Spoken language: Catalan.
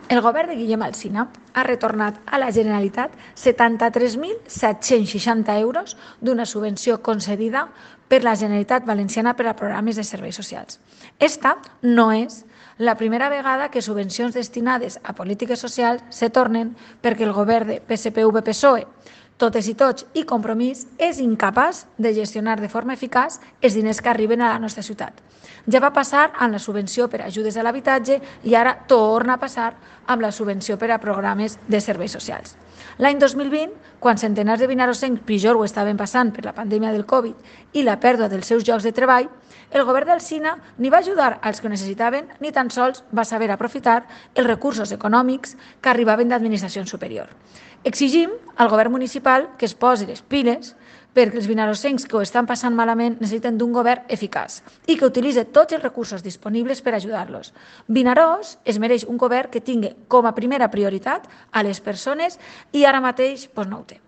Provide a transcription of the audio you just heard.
El govern de Guillem Alsina ha retornat a la Generalitat 73.760 euros d'una subvenció concedida per la Generalitat Valenciana per a programes de serveis socials. Esta no és la primera vegada que subvencions destinades a polítiques socials se tornen perquè el govern de PSPV-PSOE, totes i tots i Compromís, és incapaç de gestionar de forma eficaç els diners que arriben a la nostra ciutat. Ja va passar amb la subvenció per a ajudes a l'habitatge i ara torna a passar amb la subvenció per a programes de serveis socials. L'any 2020, quan centenars de vinarosencs pitjor ho estaven passant per la pandèmia del Covid i la pèrdua dels seus llocs de treball, el govern d'Alsina ni va ajudar als que ho necessitaven ni tan sols va saber aprofitar els recursos econòmics que arribaven d'administració superior. Exigim al govern municipal que es posi les piles perquè els vinarosencs que ho estan passant malament necessiten d'un govern eficaç i que utilitzi tots els recursos disponibles per ajudar-los. Vinaròs es mereix un govern que tingui com a primera prioritat a les persones i ara mateix no ho té.